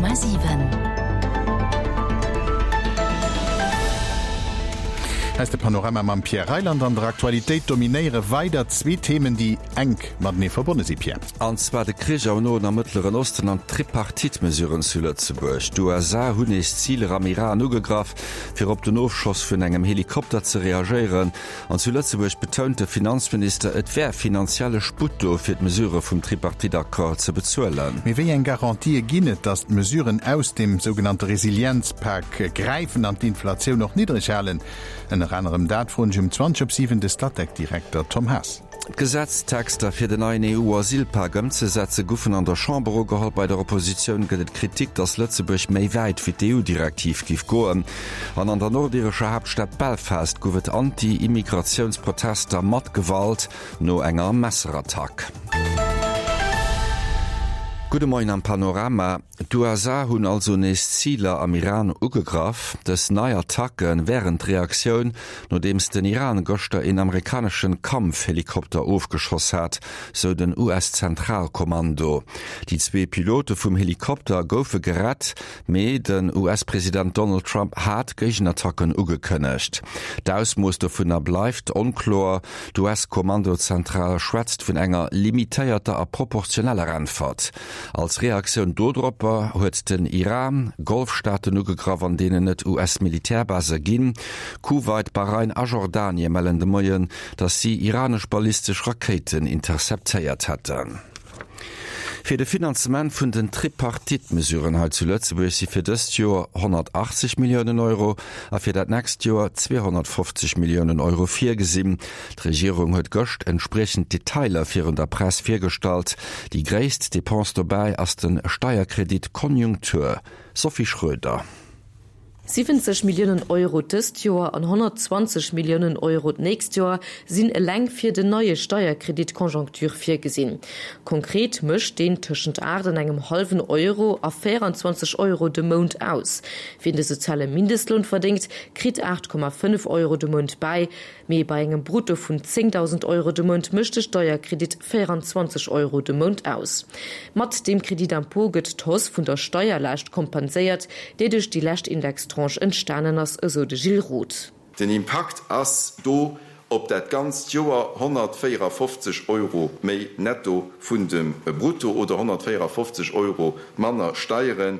100,7. Hei ass de Panorama mam Pierre Reyland. An der Aktualitéit dominéiere weider zwee Themen, déi enk matenee verbonne si, Pierre. An zwar de Krich am Noen a Mëttleren Osten an d'Tripartite-Mesuren zu Lëtzebuerg. D'USA hunn nees Ziler am Iran ugegraff, fir op den Ofschoss vun engem Helikopter ze reagéieren. An zu Lëtzebuerg betount de Finanzminister, et wär finanzielle Sputt do, fir d'Mesurë vum Tripartite-Accord ze bezuelen. Mee wéi eng Garantië ginn et, datt d'Mesuren aus dem sougenannte Resilienzpak gräifen an d'Inflatioun och niddreg halen? Ënner anerem dat froen ech um 20 op 7 de Statec-Direkter Tom Haas. D'Gesetztexter fir den neien EU-Asylpak ëmzesetze goufen an der Chamber ugeholl. Bei der Oppositioun gëtt et Kritik, datt Lëtzebuerg méi wäit wéi d'EU-Direktiv giff goen. An an der nordirescher Haaptstad Belfast gouf et Anti-Immigratiounsprotester mat Gewalt no enger Messerattack. Gudde Moien am Panorama. D'USA hunn also nees Ziler am Iran ugegraff. Dës nei Attacke wären d'Reaktioun, nodeems den Iran gëschter een amerikaneschen Kampfhelikopter ofgeschoss hat, sou den US-Zentralkommando. Déi zwee Pilote vum Helikopter goufe gerett, mee den US-President Donald Trump hat Géigenattacken ugekënnegt. D'Ausmooss dovunner bleift onkloer. D'US-Kommandozentral schwätzt vun enger limitéierter a proportioneller Äntwert. Als Reaktioun dodropper huet den Iran Golfstaaten ugegraff, an deenen et US-Militärbase ginn. Kuwait, Bahrain a Jordanie mellen de Moien, datt si iranesch ballistesch Rakéiten interceptéiert hätten. Fir de Finanzement vun den Tripartite-Mesuren hei zu Lëtzebuerg si fir dëst Joer 180 Milliounen Euro a fir dat nächst Joer 250 Milliounen Euro virgesinn. D'Regierung huet gëscht entspriechend Detailer virun der Press virgestallt. Déi gréisst Depense dobäi ass de Steierkredit Konjunktur. Sophie Schroeder. 70 Milliounen Euro dëst Joer an 120 Milliounen Euro d'nächst Joer sinn eleng fir den neie Steierkredit Conjoncture virgesinn. Konkret mécht deen tëschent 8 an engem hallwen Euro a 24 Euro de Mount aus. Wien de soziale Mindestloun verdéngt, kritt 8,5 Euro de Mount bäi. Mee bei engem Brutto vun 10.000 Euro de Mount mécht de Steierkredit 24 Euro de Mount aus. Mat deem Crédit d'impôt gëtt d'Hausse vun der Steierlaascht kompenséiert, déi duerch déi lescht Indextranche entstanen ass, esou de Gilles Roth. Den Impakt ass do op dat ganzt Joer 154 Euro méi netto vun dem Brutto oder 154 Euro manner Steiere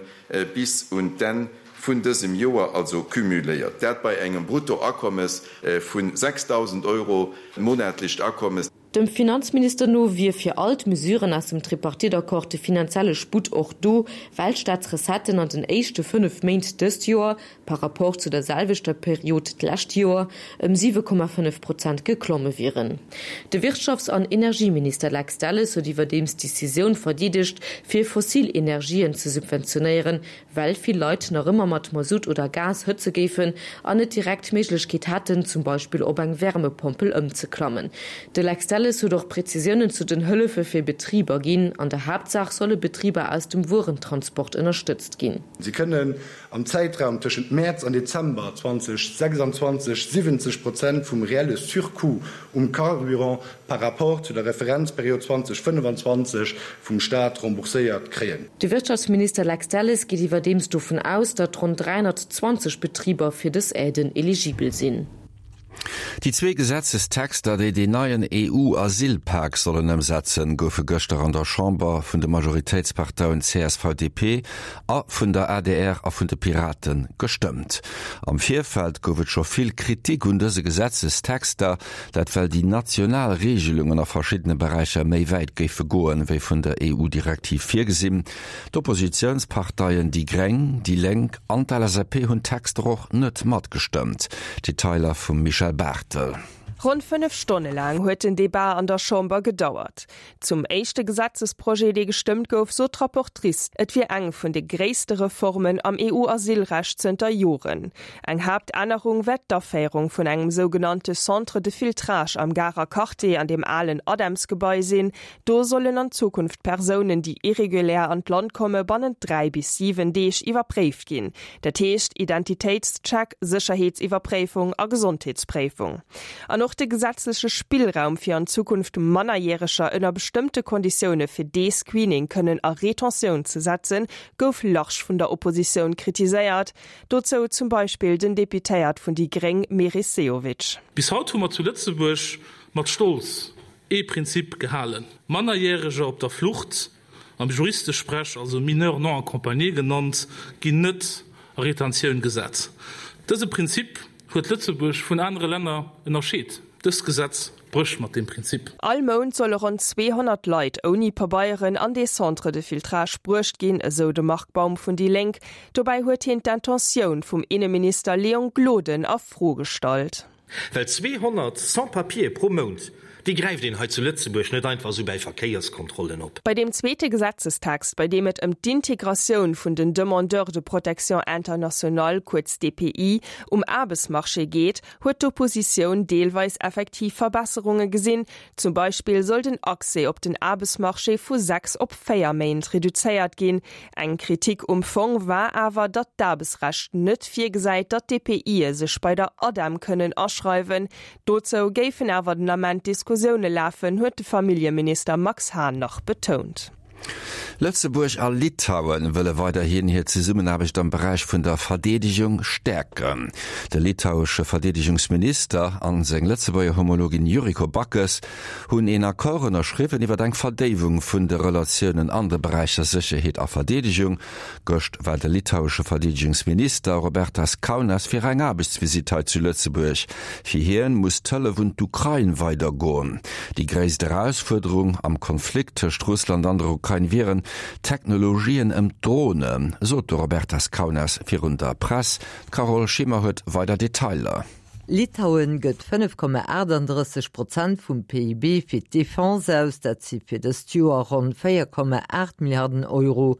bis un d'Enn vun dësem Joer, also cumuléiert dat bei engem Bruttoakommes vu 6.000 Euro monatlecht Akommes. Dem Finanzminister no wier fir all d'Mesuren aus dem Tripartite-Accord de finanzielle Sputt och do, well d'Staatsrecetten an den éischte 5 Méint dëst Joer, par Rapport zu der selwechter Period d'lescht Joer, ëm 7,5 Prozent geklomme wieren. De Wirtschafts an Energieminister Lex Delles huet iwwerdeems d'Decisioun verdeedegt, fir fossil Energien ze subventionéieren, well vill Leit nach ëmmer mat Masutt oder Gas hëtze géifen an net direkt d'Méiglechkeet hätten, zum Beispill op eng Wärmepompel ëmzeklammen. De Lex Delles huet och Prezisiounen zu den Hëllefe fir Betriber ginn. An der Haaptsaach solle Betriber aus dem Wuerentransport ënnerstëtzt ginn. Si kënnen am Zäitraum tëschent Mäerz an Dezember 2026 70 Prozent vum reelle Surcoût um Carburant par rapport zu der Referenzperiod 2025 vum Staat rembourséiert kréien. De Wirtschaftsminister Lex Delles geet iwwerdeems dovun aus, datt ronn 320 Betriber fir dës Aiden eligibel sinn. Déi zwee Gesetzestexter, déi deen neien EU-Asylpak sollen ëmsetzen, goufe gëschter an der Chamber vun de Majoritéitsparteien csv-DP a vun der adr a vun de Pirate gestëmmt. Am Virfeld gouf et scho vill Kritik un dëse Gesetzestexter, Dat well déi national Reegelungen a verschiddene Beräicher méi wäit géife goen, wéi vun der EU-Direktiv virgesinn. D'Oppositiounsparteien déi Gréng, déi Lénk an d'LSAP hunn d'Texter och net matgestëmmt. Detailer vum Michèle Barthel. Ronn 5 Stonne laang huet den Debat an der Chamber gedauert. Zum éischte Gesetzesprojet, dee gestëmmt gouf, sot d'Rapportrice, et wier eng vun de gréisste Reformen am EU-Asylrecht zënter Joren. Eng Haaptännerung wär d'Aféierung vun engem sougenannte Centre de filtrage am Garer Quartier an dem alen ADEMS-Gebai sinn. Do sollen an Zukunft Persounen, déi irregulär an d'Land komme bannent 3 bis 7 Deeg iwwerpréift ginn. Dat heescht Identitéitscheck, Sécherheetsiwwerpréifung a Gesondheetspréifung. An och. An och de gesetzleche Spillraum, fir an Zukunft Mannerjäreger ënner bestëmmte Konditioune fir dee Screening kënnen a Retentioun ze setzen, gouf large vun der Oppositioun kritiséiert. Dozou zum Beispill den Deputéiert vun déi gréng Meris Sehovic. Bis haut hu mer zu Lëtzebuerg mat Stolz ee Prinzip gehalen, Mannerjäreger op der Flucht, am Juristesprech also Mineurs non accompagnés genannt, ginn net a Retentioun gesat. Dëse Prinzip huet Lëtzebuerg vun anere Länner ënnerscheet. Dëst Gesetz brécht mat deem Prinzip. All Mount solle ronn 200 Leit ouni Pabeieren an dee Centre de filtrage bruecht ginn, esou de Marc Baum vun déi Lénk. Dobäi huet hien d'Intentioun vum Inneminister Léon Gloden a Fro gestallt. Well 200 Sans-papiere pro Mount, déi gräift een hei zu Lëtzebuerg net einfach esou bäi Verkéierskontrollen op. Bei deem zweete Gesetzestext, bei deem et ëm d'Integratioun vun den Demandeurs de protection internationale, kuerz DPI, um Aarbechtsmarché geet, huet d'Oppositioun deelweis effektiv Verbesserunge gesinn. Zum Beispill soll den Accès op den Aarbechtsmarché vu 6 op 4 Méint reduzéiert ginn. Eng Kritik um Fong war awer, datt d'Aarbechtsrecht net virgesäit, datt d'DPIe sech bei der ADEM kënnen aschreiwen. Dozou géifen awer den Ament Diskussioune lafen, huet de Familljeminister Max Hahn nach betount. Lëtzebuerg a Litauen wëlle weiderhin hir Zesummenaarbecht am Beräich vun der Verdeedegung stäerken. De litauesche Verdeedegungsminister an seng Lëtzebuerger Homologin Yuriko Backes hunn een Accord ënnerschriwwen iwwer eng Verdéiwung vun de Relatiounen an de Beräicher Sécherheet a Verdeedegung. Gëscht war de litauesche Verdeedegungsminister Robertas Kaunas fir eng Aarbechtsvisitt hei zu Lëtzebuerg. Fir hien muss d'Hëllef un d'Ukrain weider goen. Déi gréisst Erausfuerderung am Konflikt tëscht Russland an der Ukrain wieren d'Technologien ëm d'Dronen, sot de Robertas Kaunas virun der Press. D'Carole Schimmer huet weider Detailer. Litauen gëtt 5,38 Prozent vum PIB fir d'Defense aus, dat si fir dëst Joer ronn 4,8 Milliarden Euro.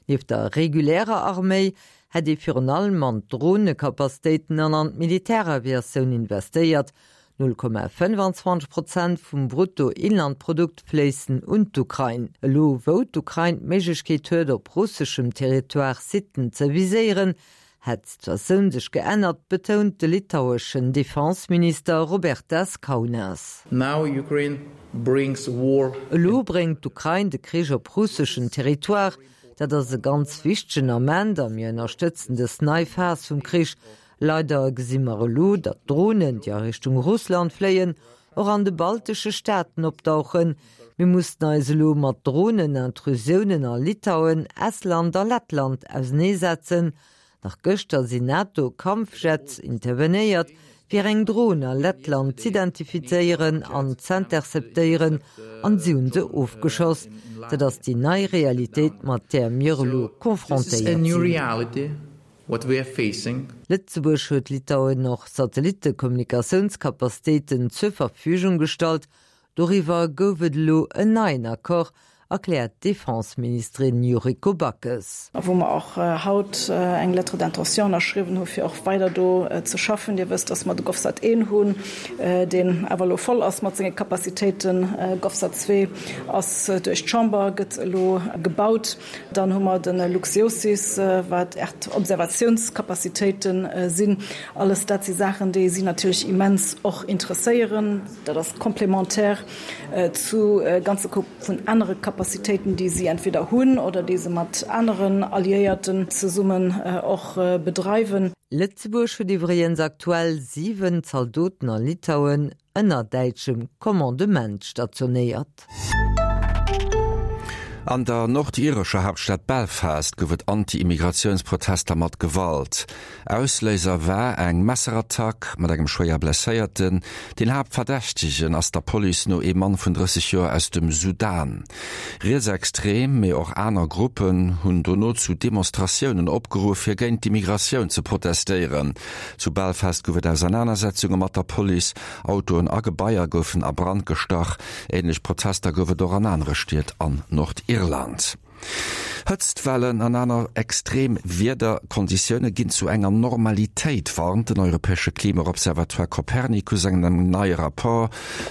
Nieft der regulärer Arméi hätt ee virun allem an d'Dronekapazitéiten an an d'Militäraviatioun investéiert. 0,25 Prozent vum Bruttoinlandprodukt fléissen un d'Ukrain. Elo wou d'Ukrain d'Méiglechkeet huet op russeschem Territoire Sitten ze viséieren, hätt d'Situatioun sech geännert, betount de litaueschen Defenseminister Robertas Kaunas. Now Ukraine brings war. Elo bréngt d'Ukrain de Krich op russeschen Territoire. Dat ass e ganz wichtegen Ament a mir ënnerstëtzen dës nei Phas vum Krich. Leider gesi mer elo, datt Dronen, déi a Richtung Russland fléien, och an de baltesche Staaten opdauchen. Mir mussen eis elo mat Dronen-Intrusiounen a Litauen, Estland a Lettland auseneesetzen. Nach gëschter sinn NATO-Kampfjets intervenéiert, fir eng Dron a Lettland z'identifizéieren an z'interceptéieren, an si hunn se ofgeschoss. Dat ass déi nei Realitéit, mat där mir elo confrontéiert sinn. Lëtzebuerg huet Litauen och Satellittekommunikatiounskapazitéiten zur Verfügung gestallt. Doriwwer gouf et elo en neien Accord, erkläert d'Defenseministerin Yuriko Backes. A wou mer och haut eng Lettre d'intention ënnerschriwwen hu fir och weider do ze schaffen. Dir wësst, dass mer de GovSat I hunn, deen awer elo voll ass mat senge Capacitéiten. GovSat ii ass duerch d'Chamber, gëtt elo gebaut. Dann hu mer de LuxGeoSys, wat Äerdobservatiounscapacitéite sinn. Alles dat si Saachen, déi si natierlech immens och interesséieren. Dat ass complémentaire zu ganze Koup vun anere Capacitéiten, déi si entweder hunn oder déi se mat aneren Alliéierten zesummen och bedreiwen. Lëtzebuerg huet iwwregens aktuell 7 Zaldoten a Litauen ënner däitschem Commandement stationéiert. An der nordirescher Haaptstad Belfast gouf et Anti-Immigratiounsprotester mat Gewalt. Ausléiser war eng Messerattack mat engem schwéier Blesséierten. Den Haaptverdächtegen ass der Police no ee Mann vun 30 Joer aus dem Sudan. Rietsextrem, mee och aner Gruppen hunn dono zu Demonstratiounen opgeruff, fir géint d'Immigratioun ze protestéieren. Zu Belfast gouf et Ausernanersetzunge mat der Police, Autoen a Gebaier goufen a Brand gestach. Änlech Protester gouf et och an anere Stied an Nordirland. Hëtztwellen an aner extrem Wiederkonditioune ginn zu enger Normalitéit, warnt den europäesche Klimaobservatoire Copernicus an engem neie Rapport.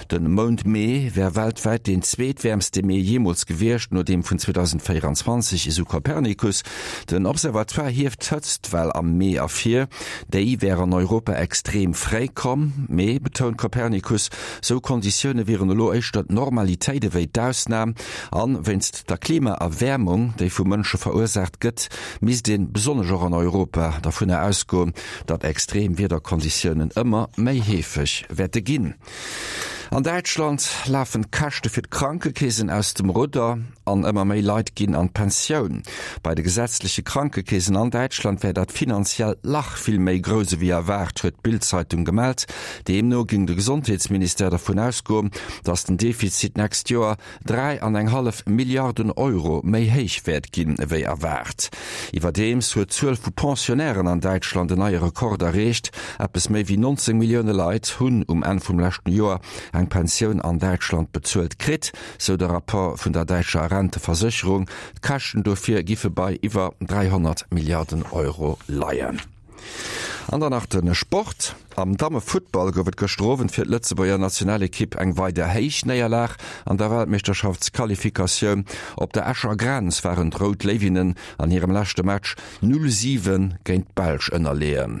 De Mount Mee wär weltwäit deen zweetwäermste Mee jeemools gewiescht, no deem vun 2024, esou Copernicus. Den Observatoire hieft d'Hëtztwell am Mee ervir. Déi wär an Europa extrem fréi komm. Mee, betount Copernicus, sou Konditioune wieren elo éischter d'Normalitéit ewéi d'Ausnam. An wéinst der Klimaerwäermung, déi vu Mënsche verursaacht gëtt, misst een, besonnesch och an Europa, dervunner ausgoen, datt extrem Wiederkonditiounen ëmmer méi heefeg wäerte ginn. An Däitschland lafen d'Käschte fir d'Krankekeesen aus dem Rudder an ëmmer méi Leit ginn an d'Pensioun. Bei de gesetzleche Krankekeesen an Däitschland wär dat finanziellt Lach vill méi grouss ewéi erwaart, huet d'Bild-Zeitung gemellt. Deemno géing de Gesondheetsministère dervun ausgoen, datt den Defizit d'nächst Joer 3 an eng hallef Milliarden Euro méi héich wäert ginn ewéi erwaart. Iwwerdeems huet d'Zuel vu Pensionnairen an Däitschland en neie Rekord erreecht. Eppes méi wéi 19 Millioune Leit hunn um Enn vum leschten Joer eng Pensioun an Däitschland bezuelt kritt, sou de Rapport vun der däitscher Renteversécherung. D'Käschten dofir giffe bei iwwer 300 Milliarden Euro leien. An dann nach de Sport. Am Dammefuttball gouf et gëschter Owend fir d'Lëtzebuerger Nationalekipp eng weider héich Néierlag an der Weltmeeschterschaftsqualifikatioun. Op der Escher Grenz waren d'Rout Léiwinnen an hirem leschte Match 0, 7 géint d'Belsch ënnerleeën.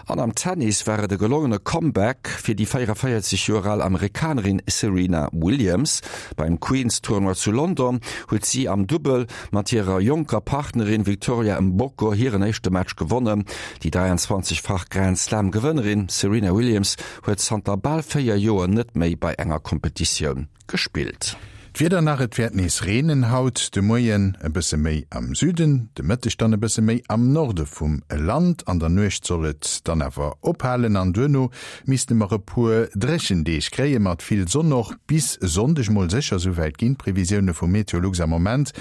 An am Tennis war et e gelongene Comeback fir déi 44 Joer al Amerikanerin Serena Williams. Beim Queens-Tournoi zu London huet si am Dubbel mat hirer jonker Partnerin Victoria Mboko hiren éischte Match gewonnen. Déi 23-fach Grand Slam Gewënnerin Serena Williams huet zanter bal 4 Joer net méi bei enger Kompetitioun gespillt. D'Wieder nach, Et wäert nees reenen haut de Moien, e bësse méi am Süden, de Mëtteg dann e bësse méi am Norde vum Land. An der Nuecht soll et dann awer ophalen an duerno misste mer e puer dréchen Deeg kréie mat vill Sonn och bis Sonndeg mol sécher, souwäit ginn d'Previsioune vu Meteolux am Moment.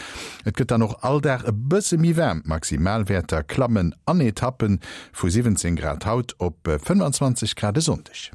Et gëtt dann och all Dag e bësse méi waarm, d'Maximalwäerter klammen an Etappe vu 17 Grad haut op 25 Grad e Sonndeg.